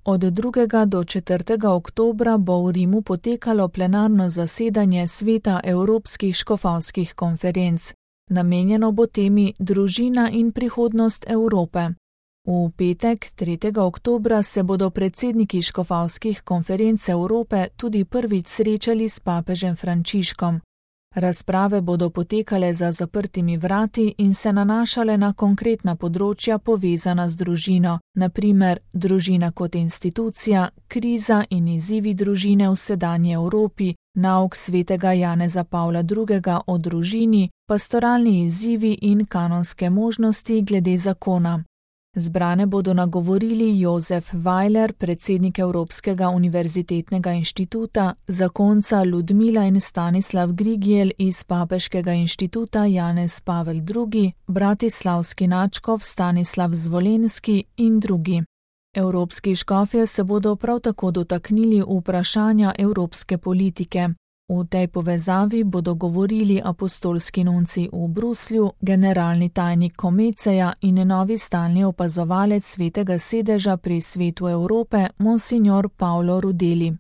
Od 2. do 4. oktobra bo v Rimu potekalo plenarno zasedanje Sveta Evropskih škofovskih konferenc. Namenjeno bo temi Družina in prihodnost Evrope. V petek, 3. oktobra, se bodo predsedniki škofovskih konferenc Evrope tudi prvič srečali s papežem Frančiškom. Razprave bodo potekale za zaprtimi vrati in se nanašale na konkretna področja povezana z družino, na primer družina kot institucija, kriza in izzivi družine v sedanji Evropi, nauk svetega Janeza Pavla II. O družini, pastoralni izzivi in kanonske možnosti glede zakona. Zbrane bodo nagovorili Jozef Weiler, predsednik Evropskega univerzitetnega inštituta, zakonca Ludmila in Stanislav Grigijel iz Papeškega inštituta Janez Pavel II, bratislavski nadškof Stanislav Zvolenski in drugi. Evropski škofje se bodo prav tako dotaknili vprašanja evropske politike. V tej povezavi bodo govorili apostolski nunci v Bruslju, generalni tajnik Komeceja in novi stalni opazovalec Svetega sedeža pri Svetu Evrope, monsignor Paolo Rudeli.